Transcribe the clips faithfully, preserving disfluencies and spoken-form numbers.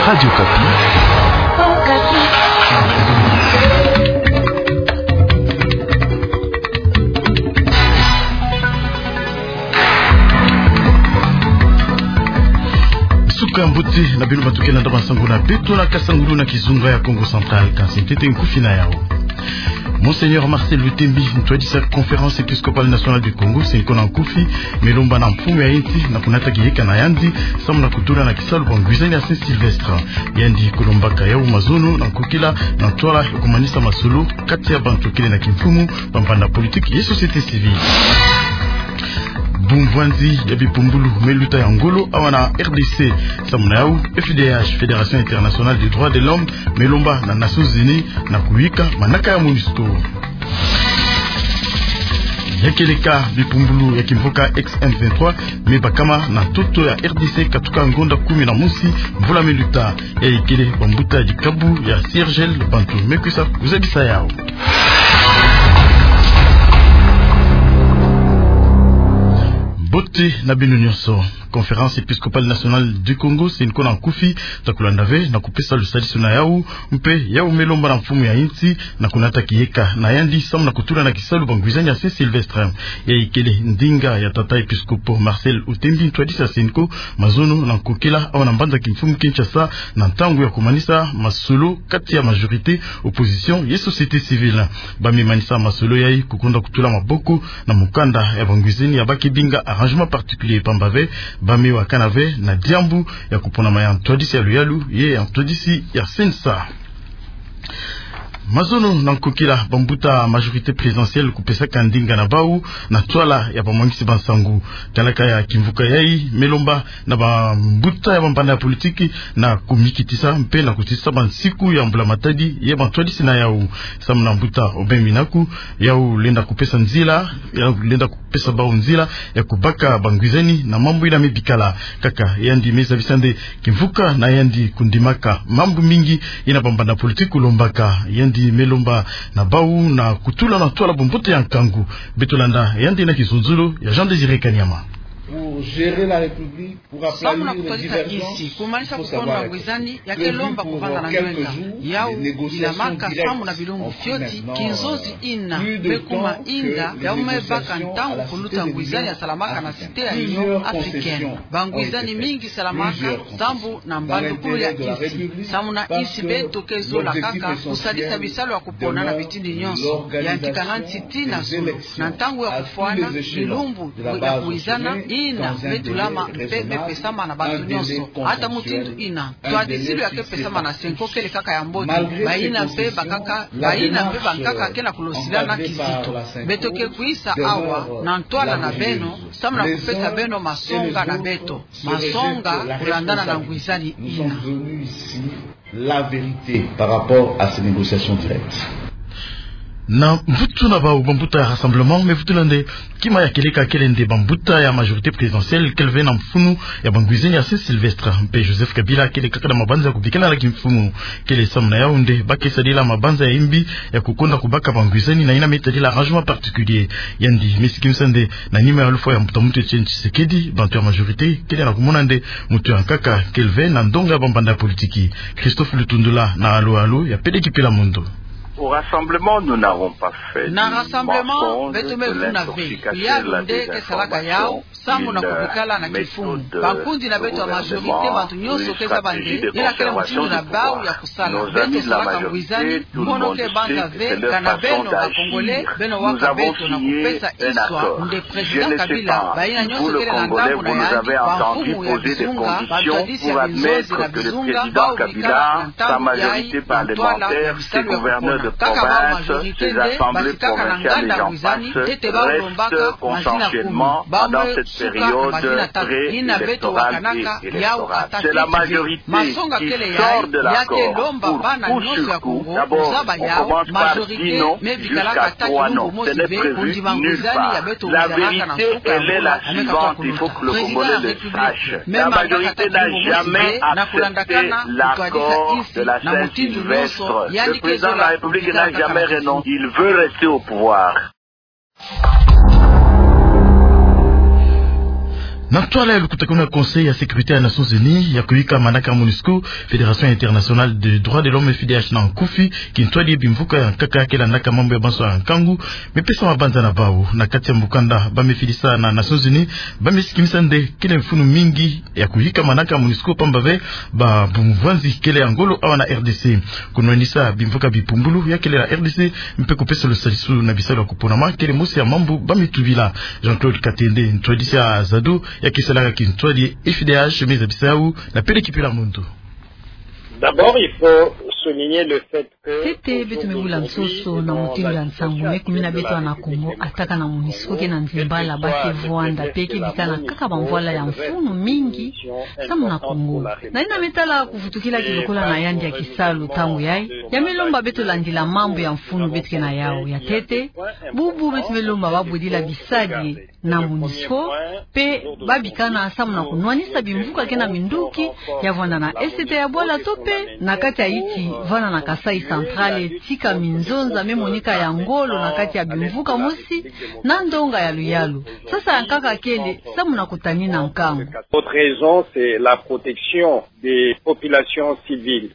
Radio Okapi. Suka mbote na bino bato ke landa bansango na beto na kasangulu na kizunga ya Kongo Central, kansi ntete nkufi na yao. Monseigneur Marcel Lutembi, ntwadisi ya Conférence Épiscopale Nationale du Congo, se nko na nkufi, me lomba na mfumu ya insi na kunata kiyeka na yandi, samu na kutula na kisalu bangwizani ya Saint Sylvestre. Yandi kulombaka yau mazono na nkokila na ntwala ya kumanisa masolo kati ya bantu kele na kimfumu, bambanda politique ye société civile. Bumvwanzi ya bipumbulu me luta ya ngolo awa na R D C. Samu na yau, F I D H, Fédération Internationale des Droits de l'Homme, me lomba na Nations Unies na kuyika manaka ya MONUSCO. Ya kieleka bipumbulu ya kimvuka ex M vingt-trois me bakama na ntoto ya R D C katuka ngonda kumi na mosi mvula me luta. Yayi kele bambuta ya dikabu ya C R G L, bantu me kwisa kuzabisa yau. Mbote na bino nyonso. Conférence Épiscopale Nationale du Congo, se nko na nkufi, ta kulanda ve na kupesa lusadisu na yau, mpe yau me lomba na mfumu ya insi na kunata kiyeka na yandi, samu na kutula na kisalu bangwizani ya Saint Sylvestre. Yayi kele ndinga ya tata episkopo Marcel Lutembi, ntwadisi ya se nko, mazono na nkokila awa na mbanza kimfumu Kinshasa, na ntangu ya kumanisa masolo kati ya majorité, opposition ye société civile. Ba me manisa masolo yayi kukonda kutula maboko na mukanda ya bangwizani ya ba ke binga arrangement particulier, pamba ve ba me wakana ve na diambu ya kuponama ya ntwadisi ya luyalu ye ya ntwadisi ya C N S A. Mazono na nkokila bambuta majorité présidentielle kupesaka ndinga na bau na ntwala ya bamwangisi bansangu. Kalaka ya kimvuka yayi me lomba na bambuta ya bambanda ya politique na kumikitisa mpe na kutisa bansiku ya mbula matadi ye bantwadisi na yau. Samu na mbuta Aubin Minaku, yau lenda kupesa nzila, yau lenda kupesa bau nzila ya kubaka bangwizani na mambu yina me bikala. Kaka yandi me zabisa nde kimvuka na yandi kundimaka mambu mingi yina bambanda politique kulombaka. Yandi me lomba na bau na kutula na ntwala bumbote ya nkangu. Beto landa yandi na kizunzulu ya Jean Désiré Kanyama. Pour gérer la République, samu na kutadisa insi, kumanisa kukonda ngwizani, ya ke lomba kuvanda na ndwenga. Yau ilamaka samu na bilumbu fioti, kinzonzi yina me kuma inda yau me baka ntangu kuluta ngwizani ya salamaka na Cité ya Union Africaine. Bangwizani mingi salamaka sambu na mbandukulu ya insi. Samu na insi beto ke zola kaka kusadisa bisalu ya kupona na bitini nyonso. Yantikana nti tii na zulu. Na ntangu ya kufwana, bilumbu ya kuwizana yina me tulama mpe me pesama na bato nyonso. Ata mutindu yina, ntwadisilu ya ke pesama na se nko kele kaka ya mbote. Bayina mpe bakaka, bayina mpe bankaka ke na kulosilana kizito. Beto ke kwisa awa na ntwala na beno, samu na kupesa beno masonga na beto. Masonga kulandana na ngwizani yina. La vérité par rapport à ces négociations directes. Na mvutu na bau, bambuta ya Rassemblement me vutula nde kima ya kieleka kele nde bambuta ya majorité présidentielle kele ve na mfunu ya bangwizani ya Saint Sylvestre. Mpe Joseph Kabila kele kaka na mabanza ya kubikila na kimfumu. Kele samu na yau nde ba ke sadila mabanza ya imbi ya kukonda kubaka bangwizani na yina me tadila arrangement particulier. Yandi me sikimisa nde na nima ya lufwa ya mbuta muntu Etienne Tshisekedi, bantu ya majorité kele na kumona nde mutu ya nkaka kele ve na ndonga ya bambanda ya politique. Christophe Lutundula na Alo Alo ya Peleki Pila Mondo. Au Rassemblement, nous n'avons pas fait du mensonge, de l'intoxication et de la désinformation. Samu na kubikala na kimfumu. Bankundi na beto ya majorité, bantu nyonso ke zaba nde yina kele mutindu na bau ya kusala. Beto salaka ngwizani, mono ke banza ve kana beno ba Congolais beno waka beto na kupesa iswa nde Président Kabila, bayina nyonso kele na ndambu na yandi, bamfumu ya bizunga, bantwadisi ya binzonzi na bizunga, bau bikala na ntangu yayi na ntwala ya bisalu ya kupona. Kaka bau majorité nde basikaka na nganda ngwizani, ntete bau lombaka mazina kumi. Bau me suka na mazina tatu, yina beto wakanaka yau ata tete. Masonga kele yayi, ya ke lomba bana nyonso ya Congo kuzaba yau, majorité me bikalaka ata kilumbu mosi ve, kundima ngwizani ya beto wizanaka na nsuka ya mbula ya meka twa kulota. Président ya République me mangaka ata kilumbu mosi ve na kulandakana kutwadisa insi na mutindu nyonso, yandi ke zola kubikala kaka na kimfumu. Il veut rester au pouvoir. Na ntwala ya lukutakanu ya Conseil ya Sécurité ya Nations Unies ya kuyika manaka MONUSCO, Fédération Internationale des Droits de l'Homme, F D H na nkufi, kintwadi bimvuka ya nkaka kele ndaka mambu ya banso ya nkangu, mepesa mabanza na bau. Na kati ya mukanda ba mefidisa na Nations Unies, ba mesikimisa nde kele mfunu mingi ya kuyika manaka MONUSCO pamba ve ba bumvwanzi kele ya ngolo awa na R D C. Kunwanisa bimvuka bipumbulu ya kele na R D C, mpe kupesa lusadisu na bisalu ya kuponama kele mosi ya mambu ba metubila. Jean-Claude Katende, ntwadisi ya ZADDO, ya ke salaka kintwadi F D H, me zabisa yau na Pele Kipila Muntu. D'abord, il faut souligner le fait que Ntete, beto mebula nsoso na mutindu ya nsangu me kumina beto bana Kongo, ataka na MONUSCO ke na nzimbala ba ke vwanda mpe ke bikana kaka bamvwala ya mfunu mingi samu na Kongo. Na yina me tala kuvutukila kilokola na yandi ya kisalu ntangu yayi, ya me lomba beto landila mambu ya mfunu beto ke na yau. Ya ntete, bubu beto me lomba ba bodila bisadi na MONUSCO, mpe ba bikana samu na kunwanisa bimvuka ke na minduki ya vwanda na Est ya bwala to mpe na kati ya yinsi vwanda na Kasaï Central, tika minzonza me monika ya ngolo na kati ya bimvuka mosi na ndonga ya luyalu. Sasa ya nkaka kele samu na kutanina nkangu. L'autre raison, c'est la protection des populations civiles.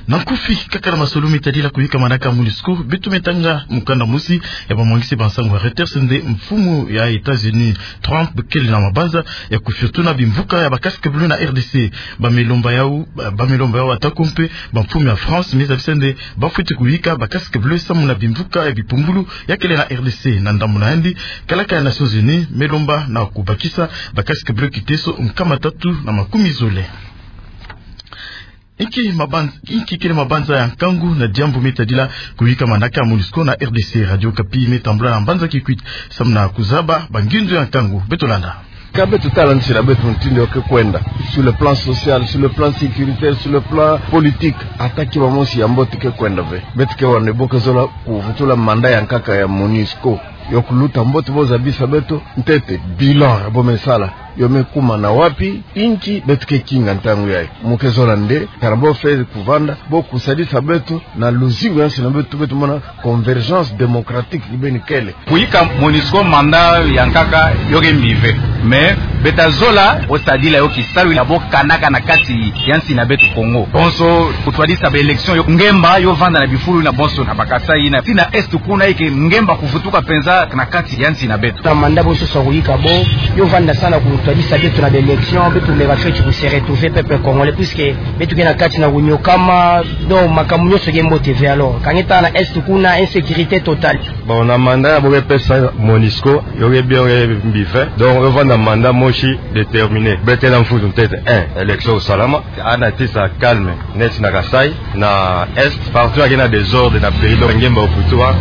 Na nkufi, kaka na masolo me tadila kuyika manaka MONUSCO, beto me tanga mukanda mosi ya bamwangisi ba nsangu ya Reuters nde mfumu ya États-Unis, Trump, kele na mabanza ya kufutuna bimvuka ya ba casques bleus na R D C. Ba me lomba yau, ba, ba me lomba yau ata ko mpe bamfumu ya France, me zabisa nde ba fweti kuyika ba casques bleus samu na bimvuka ya bipumbulu ya kele na R D C. Na ndambu na yandi, kalaka ya Nations Unies me lomba na kubakisa ba casques bleus kiteso nkama tatu na makumi zole. Inki mabanz-, inki kele mabanza ya nkangu na diambu me tadila kuyika manaka MONUSCO na R D C? Radio Okapi me tambula na mbanza Kikwit samu na kuzaba bangindu ya nkangu. Beto landa. Ka beto tala nsi na beto mutindu yo ke kwenda, sur le plan social, sur le plan sécuritaire, sur le plan politique, ata ki ba mosi ya mbote ke kwenda ve. Beto ke wani bo ke zola kuvutula mandat ya nkaka ya MONUSCO. Yo kuluta mbote bo zabisa beto ntete bilan ya bo me sala yo me kuma na wapi, inki beto ke kinga ntangu yayi. Mu ke zola nde, kana bo fweti kuvanda, bo kusadisa beto na luzingu ya nsi na beto, beto mona convergence démocratique kibeni kele. Kuyika MONUSCO mandat ya nkaka yo ke mbi ve. Mais beto ta zola bo sadila yo kisalu ya bo kanaka na kati ya nsi na beto Kongo. Bonso kutwadisa ba élections yo ngemba yo vanda na bifulu na bonso na ba Kasaï na, ti na Est kuna, ike ngemba kuvutuka mpenza na kati ya nsi na beto. Na mandat bo sosa kuyika bo, yo vanda samu na kutwadisa beto na ba élections, beto me ba fweti ku se retrouver peuple congolais, puisque beto ke na kati na kunyokama, donc makambu nyonso ke mbote ve. Alors, ka nge tala na Est kuna, insécurité totale. Bon, na mandat ya bo ke pesa MONUSCO, yo ke bien, yo ke mbi ve. Donc, yo vanda mandat mosi déterminé. Beto ke na mfunu ntete, un, élection kusalama, ana tisa calme neti na Kasaï, na Est, partout ya ke na désordre na pays, donc ngemba kuvutuka.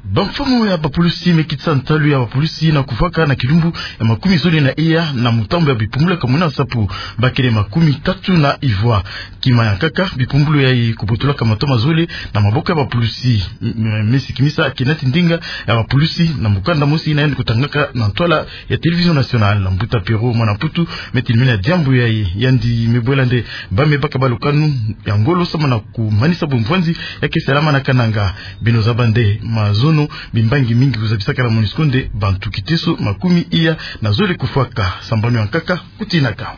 Bamfumu ya bapulusi me kitisa ntalu ya bapulusi na kuvwaka na kilumbu ya makumi zole na iya na mutambu ya bipumbulu ya kamuna nsapu, ba kele makumi tatu na ivwa. Kima ya nkaka, bipumbulu yayi kubotolaka matoma zole na maboko ya bapulusi. M-, m-, me sikimisa Kenneth Ndinga ya bapulusi na mukanda mosi yina yandi kutangaka na ntwala ya Télévision Nationale. Mbuta Pierrot Mwana Mputu me telemina diambu yayi, yandi me bwela nde ba me baka balukanu ya ngolo samu na kumanisa bumvwanzi ya ke salama na Kananga. Beno zaba nde mazono, bimbangi mingi kuzabisaka na MONUSCO nde bantu kiteso makumi iya na zole kufwaka. Sambanu ya nkaka kutinaka.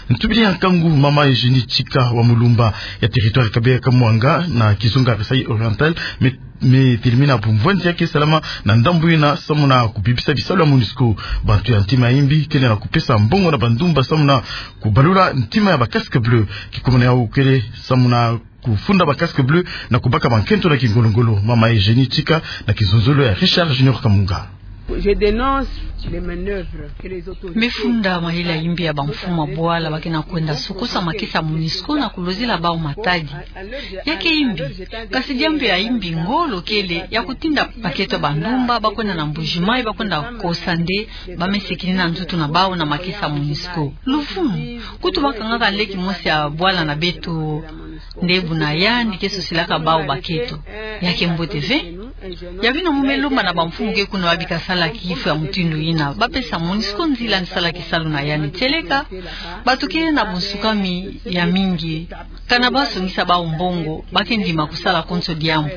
Ntubidi ya nkangu, mama Eugénie Tchika wa Mulumba ya territoire ya Kabeya Kamwanga na kizunga Kasaï Oriental me, me telemina bumvwanzi ya ke salama na ndambu yina samu na kubebisa bisalu ya MONUSCO. Bantu ya ntima ya imbi kele na kupesa mbongo na bandumba samu na kubalula ntima ya ba casques bleus. Kikumuni yau kele samu na kufunda ba casques bleus na kubaka bankento na kingolo-ngolo. Mama Eugénie Tchika na kizonzolo ya Richard Junior Kamunga. Je dénonce les manœuvres que les autorités. Me funda mayela ya imbi ya bamfumu ya bwala ba ke na kwenda sukusa makesa ya MONUSCO na kulozila bau matadi. Ya ke imbi, kasi diambu ya imbi ngolo kele ya kutinda bakento ya bandumba ba kwenda na Mbuji-Mayi, ba kwenda kosa nde ba me sikini na nzutu na bau na makesa ya MONUSCO. Luvunu, kutu ba kangaka nleki mosi ya bwala na beto nde buna yandi ke sosilaka bau bakento. Ya ke mbote ve. Ya bino mu me lomba na bamfumu ke kuna ba bika sala kifu ya mutindu yina, ba pesa MONUSCO nzila ni sala kisalu na yandi. Tieleka, bato ke na bunsukami ya mingi, kana ba songisa bawu mbongo, ba ke ndima kusala konso diambu.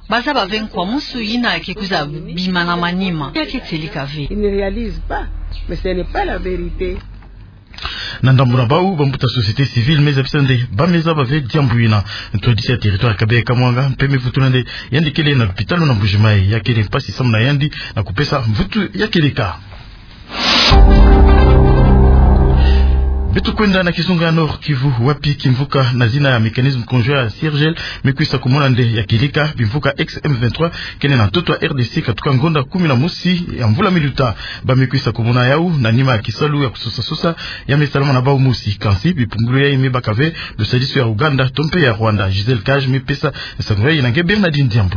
Ba zaba ve nkwa musu yina ke kwiza bima na manima. Ya ke tieleka ve. Ils ne réalisent pas, mais ce n'est pas la vérité. Na ndambu na bawu, bambuta société civile me zabisa nde ba me zaba ve diambu yina. Ntwadisi ya territoire Kabeya Kamwanga mpe me vutula nde yandi kele na lupitalu na Mbuji-Mayi. Ya kele mpasi samu na yandi na kupesa mvutu ya kieleka. Beto kwenda na kizunga ya Nord-Kivu, wapi kimvuka na zina ya Mécanisme Conjoint ya CIRGL me kwisa kumona nde ya kieleka bimvuka ex M vingt-trois kele na ntoto ya R D C katuka ngonda kumi na mosi ya mvula miluta. Ba me kwisa kumona yawu na nima ya kisalu ya kusosa-sosa ya me salama na bawu mosi. Kansi bipumbulu yayi me baka ve lusadisu ya Ouganda to mpe ya Rwanda. Gisèle Cage me pesa nsangu yayi na nge Bernardine Diambu.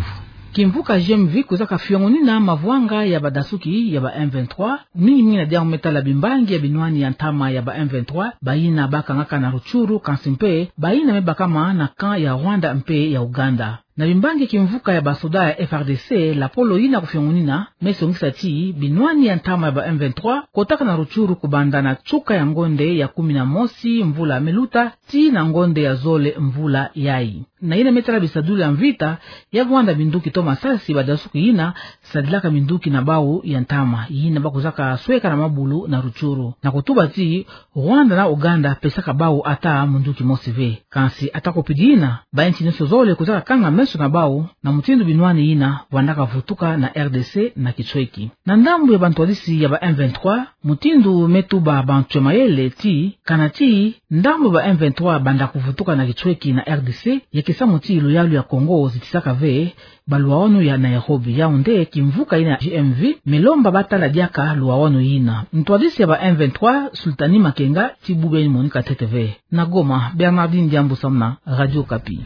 Kimvuka G M V kwizaka fiongonina mavwanga ya badasuki ya ba M vingt-trois, mingi mingi na diambu me tala bimbangi ya binwani ya ntama ya ba M vingt-trois, bayina bakangaka na Rutshuru, kansi mpe bayina me bakama na camp ya Rwanda mpe ya Ouganda. Na bimbangi kimvuka ya basoda ya F R D C, lapolo yina kufiongonina me songisa ti binwani ya ntama ya ba M vingt-trois kotaka na Rutshuru kubanda na tsuka ya ngonde ya kumi na mosi mvula miluta tii na ngonde ya zole mvula yayi. Na yina me tala bisadulu ya mvita, ya Rwanda, minduki to masasi, badasuki yina sadilaka minduki na bawu ya ntama yina ba kwizaka sweka na mabulu na Rutshuru. Na kutuba ti Rwanda na Ouganda pesaka bawu ata munduki mosi ve. Kansi ata kupidi yina, bainsi nyonso zole kwizaka kanga meso na bawu na mutindu binwani yina vwandaka vutuka na R D C na kitsweki. Na ndambu ya bantwadisi ya ba M vingt-trois, mutindu me tuba bantu ya mayele ti, kana ti ndambu ya ba M vingt-trois banda kuvutuka na kitsweki na R D C, ya ke samu ti luyalu ya Congo zitisaka ve baluwawanu ya Nairobi. Yawu nde kimvuka yina G M V me lomba ba tala diaka luwawanu yina. Ntwadisi ya ba M vingt-trois, Sultani Makenga, ti bubu yayi ni monika ntete ve. Na Goma, Bernardine Diambu samu na Radio Okapi.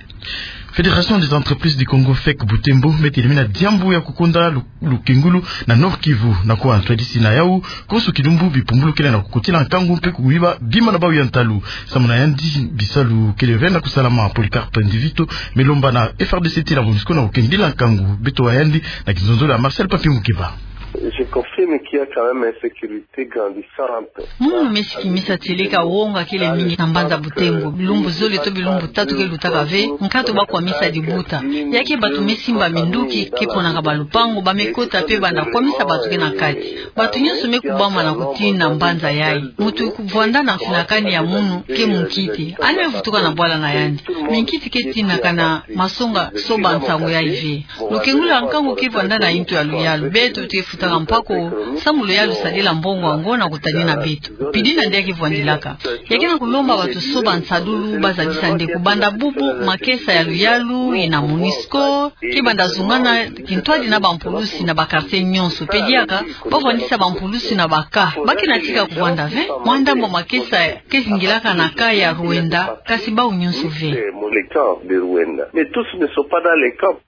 Fédération des entreprises du Congo, fec, Butembo, me telemina diambu ya kukonda lu-, lukengulu na Nord-Kivu. Na kuwa ntwadisi na yawu, konso kilumbu bipumbulu kele na kukotila nkangu mpe kuyiba bima na bawu ya ntalu. Samu na yandi bisalu kele ve na kusalama. Polycarpe Ndivito me lomba na F R D C ti na MONUSCO na kukengidila nkangu. Beto wa yandi na kinzonzolo ya Marcel Papi Mukeba. Je confirme qu'il y a quand même insécurité grandissante. Munu me sikimisa tieleka wonga kele mingi na mbanza Butembo. Bilumbu zole to bilumbu tatu ke lutaka ve, nkatu ba kwamisa dibuta. Ya ke bato me simba minduki, ke ponaka balupangu, ba me kota mpe banda kwamisa bato ke na kati. Bato nyonso me kubama na kutina mbanza yayi. Mutu kuvwanda na mfinakani ya munu ke munkiti. Yandi me vutuka na bwala na yandi. Minkiti ke tinaka na masonga soba nsangu yayi ve. Lukengulu ya nkangu ke vwanda na yintu ya luyalu. Beto te futaka mpako, samu luyalu sadila mbongo yango na kutanina beto. Pidi na nde ya ke vwandilaka. Ya ke na kulomba bato soba nsadulu, ba zabisa nde kubanda bubu, makesa ya luyalu, yina MONUSCO ke banda zungana kintwadi na bampulusi na ba quartier nyonso. Mpe diaka ba vwandisa bampulusi na ba camp. Ba ke na tika kuvwanda ve. Mwa ndambu makesa ke zingilaka na camp ya Ruenda, kasi bawu nyonso ve. Mais tous ne sont pas dans les camps.